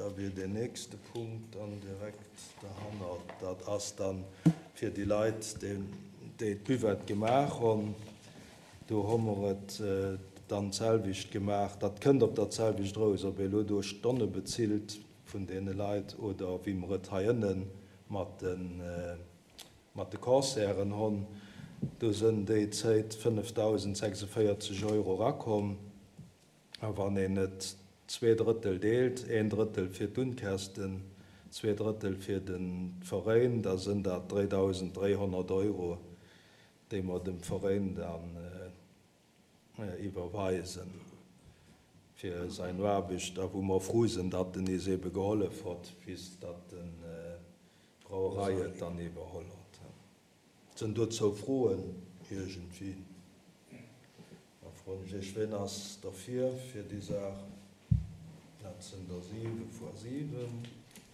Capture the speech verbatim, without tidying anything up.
Da wier deen nächste Punkt dann direkt derhannert. Dat ass dann fir déi Leit, déi d'Buvette gemaach hunn. Do hu mer et dann d'selwecht gemaach. Dat kënnt op dat selwecht eraus, ob ee elo do Stonne bezilt vun deene Leit oder wéi mer et hei ënne mat de mat de Concerten hunn. Do sënn déi Zéit fënnefdausend sechsundvéierzeg Euro erakomm. A wann een et zwee Drëttel deelt, een Drëttel fir d'Unkäschten, zwee Drëttel fir de Veräin, da sënn dat dräidausend dräihonnert Euro, déi mer dem Veräin dann iwwerweisen fir säin Aarbecht, a wou mer frou sinn, datt en eis ebe gehollef hott, bis datt d'Brauerei et dann iwwerholl hott. Sënn dozou Froen iergendwéi? Da froen ech Iech, ween ass derfir fir déi Saach? Dat sinn der siwe fois siwen.